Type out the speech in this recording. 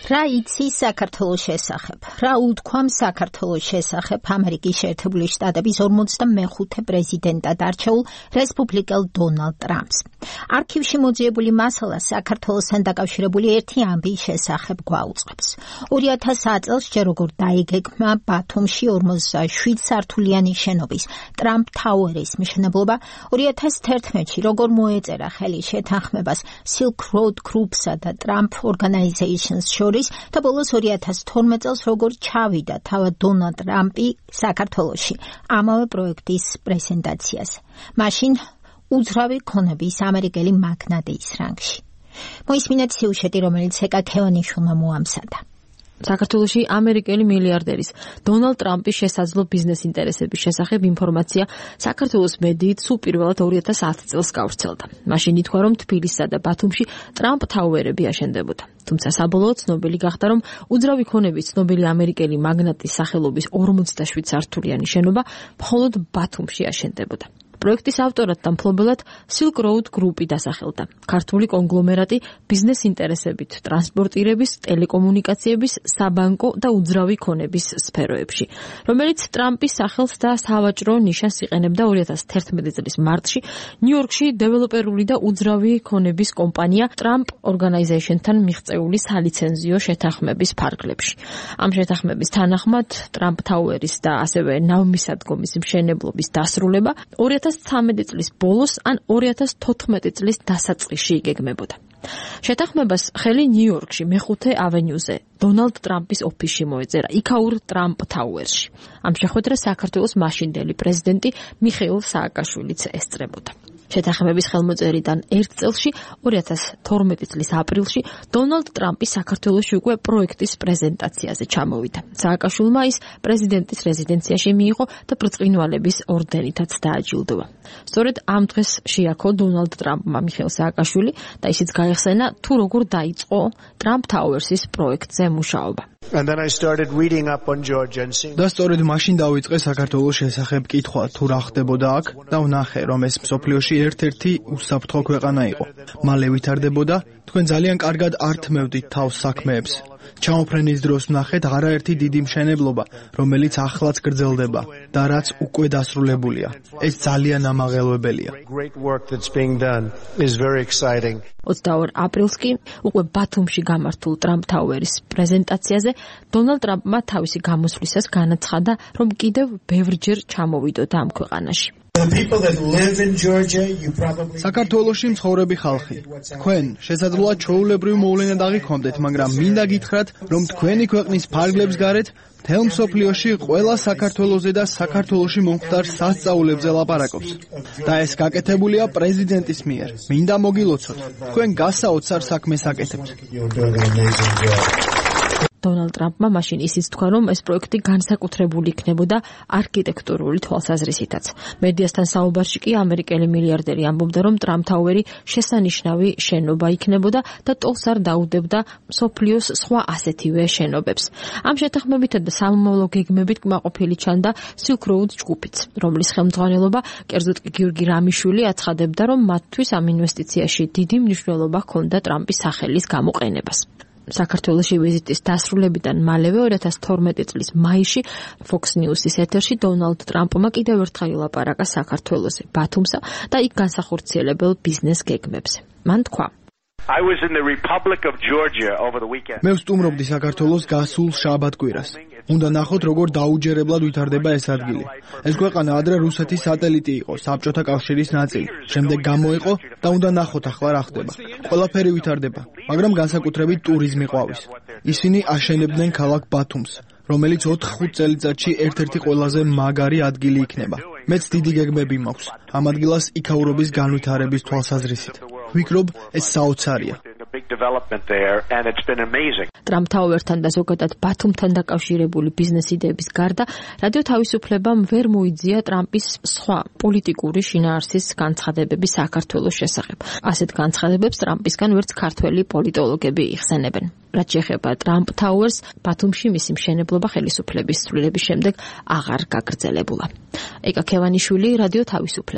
რა იცი საქართველოს შესახებ? რა უთქვამ საქართველოს შესახებ ამერიკის შეერთებული შტატების 45 პრეზიდენტად არჩეულ რესპუბლიკელ დონალდ ტრამპს? არქივში მოძიებული მასალა საქართველოსთან დაკავშირებული ერთი ამბის შესახებ გვაუწყებს. 2000 წელს ჯერ როგორ დაიგეგმა ბათუმში 47 სართულიანი შენობის ტრამპ თაუერის მშენებლობა, 2011-ში როგორ მოეწერა ხელი შეთანხმებას Silk Road Groups-ა და Trump Organizations შორის და ბოლოს 2012 წელს როგორ ჩავიდა თავად დონალდ ტრამპი საქართველოში ამავე პროექტის პრეზენტაციაზე. მაშინ უძრავი ქონების ამერიკელი მაგნატის რანგში. მოისმინეთ სიუჟეტი, რომელიც ეკა ქევანიშვილმა მოამზადა. საქართველოში ამერიკელი მილიარდერის დონალდ ტრამპის შესაძლო ბიზნეს ინტერესების შესახებ ინფორმაცია საქართველოს მედიით სულ პირველად 2010 წელს გავრცელდა. მაშინ ითქვა, რომ თბილისსა და ბათუმში ტრამპ თაუერები აშენდებოდა. თუმცა საბოლოოდ ცნობილი გახდა, რომ უძრავი ქონების ცნობილი ამერიკელი მაგნატის სახელობის 47 სართულიანი შენობა მხოლოდ ბათუმში აშენდებოდა. პროექტის ავტორად და მფლობელად Silk Road Group-ი დასახელდა. ქართული კონგლომერატი ბიზნეს ინტერესებით ტრანსპორტირების, ტელეკომუნიკაციების, საბანკო და უძრავი ქონების სფეროებში, რომელიც ტრამპის სახელს და სავაჭრო ნიშანს იყენებდა 2011 წლის მარტში ნიუ-იორკში დეველოპერული და უძრავი ქონების კომპანია Trump Organization-თან მიღწეული სალიცენზიო შეთანხმების ფარგლებში. ამ შეთანხმების თანახმად Trump Towers და ასევე ნავმისადგომის მშენებლობის დასრულება 2013 წლის ბოლოს ან 2014 წლის დასაწყისში იგეგმებოდა. შეთანხმებას ხელი ნიუ-იორკში მეხუთე ავენიუზე დონალდ ტრამპის ოფისში მოეწერა, იქაურ ტრამპ თაუერში. ამ შეხვედრას საქართველოს მაშინდელი პრეზიდენტი მიხეილ სააკაშვილიც ესწრებოდა. შეთანხმების ხელმოწერიდან ერთ წელში 2012 წლის აპრილში დონალდ ტრამპი საქართველოში უკვე პროექტის პრეზენტაციაზე ჩამოვიდა. სააკაშვილმა ის პრეზიდენტის რეზიდენციაში მიიღო და ბრწყინვალების ორდენითაც დააჯილდოვა. სწორედ ამ დღეს შეაქო დონალდ ტრამპმა მიხეილ სააკაშვილი და ისიც გაეხსენა თუ როგორ დაიწყო ტრამპ თაუერსის პროექტზე მუშაობა. და სწორედ მაშინ დავიწყე საქართველოს შესახებ კითხვა თუ რა ხდებოდა აქ და ვნახე, რომ ეს მსოფლიოში ერთ-ერთი უსაფრთხო ქვეყანა იყო. მალე ვითარდებოდა, თქვენ ძალიან კარგად არ თმევდით თავს საქმეებს. ჩამოფრენის დროს ვნახეთ არაერთი დიდი მშენებლობა, რომელიც ახლაც გრძელდება და რაც უკვე დასრულებულია. ეს ძალიან ამაღელვებელია. 22 აპრილს კი უკვე ბათუმში გამართულ ტრამპ თაუერის პრეზენტაციაზე დონალდ ტრამპმა თავისი გამოსვლისას განაცხადა, რომ კიდევ ბევრჯერ ჩამოვიდოდა ამ ქვეყანაში. საქართველოში მცხოვრები ხალხი, თქვენ შესაძლოა ჩვეულებრივ მოვლენად აღიქვამდეთ, მაგრამ მინდა გითხრათ, რომ თქვენი ქვეყნის ფარგლებს გარეთ მთელ მსოფლიოში ყველა საქართველოზე და საქართველოში მომხდარ სასწაულებზე ლაპარაკობს. და ეს გაკეთებულია პრეზიდენტის მიერ. მინდა მოგილოცოთ, თქვენ გასაოცარ საქმეს აკეთებთ. დონალდ ტრამპმა მაშინ ისიც თქვა, რომ ეს პროექტი განსაკუთრებული იქნებოდა არქიტექტურული თვალსაზრისითაც. მედიასთან საუბარში კი ამერიკელი მილიარდერი ამბობდა, რომ ტრამპ თაუერი შესანიშნავი შენობა იქნებოდა და ტოლს არ დაუდებდა მსოფლიოს სხვა ასეთივე შენობებს. ამ შეთანხმებითა და სამომავლო გეგმებით კმაყოფილი ჩანდა Silk Road ჯგუფიც, რომლის ხელმძღვანელობა კერძოდ კი გიორგი რამიშვილი აცხადებდა, რომ მათთვის ამ ინვესტიციაში დიდი მნიშვნელობა ჰქონდა ტრამპის სახელის გამოყენებას. საქართველოში ვიზიტის დასრულებიდან მალევე 2012 წლის მაისში Fox News-ის ეთერში დონალდ ტრამპმა კიდევ ერთხელ ილაპარაკა საქართველოზე, ბათუმსა და იქ განსახორციელებელ ბიზნეს გეგმებზე. მან თქვა: მე ვსტუმრობდი საქართველოს გასულ შაბათ-კვირას. უნდა ნახოთ, როგორ დაუჯერებლად ვითარდება ეს ადგილი. ეს ქვეყანა ადრე რუსეთის სატელიტი იყო, საბჭოთა კავშირის ნაწილი. შემდეგ გამოეყო და უნდა ნახოთ ახლა რა ხდება. ყველაფერი ვითარდება, მაგრამ განსაკუთრებით ტურიზმი ყვავის. ისინი აშენებდნენ ქალაქ ბათუმს, რომელიც 4-5 წელიწადში ერთ-ერთი ყველაზე მაგარი ადგილი იქნება. მეც დიდი გეგმები მაქვს ამ ადგილას იქაურობის განვითარების თვალსაზრისით. ვფიქრობ, ეს საოცარია. ტრამპ თაუერთან და ზოგადად ბათუმთან დაკავშირებული ბიზნეს იდეების გარდა, რადიო თავისუფლებამ ვერ მოიძია ტრამპის სხვა პოლიტიკური შინაარსის განცხადებები საქართველოს შესახებ. ასეთ განცხადებებს ტრამპისგან ვერც ქართველი პოლიტოლოგები იხსენებენ. რაც შეეხება ტრამპ თაუერს, ბათუმში მისი მშენებლობა ხელისუფლების ცვლილების შემდეგ აღარ გაგრძელებულა. ეკა ქევანიშვილი, რადიო თავისუფლება.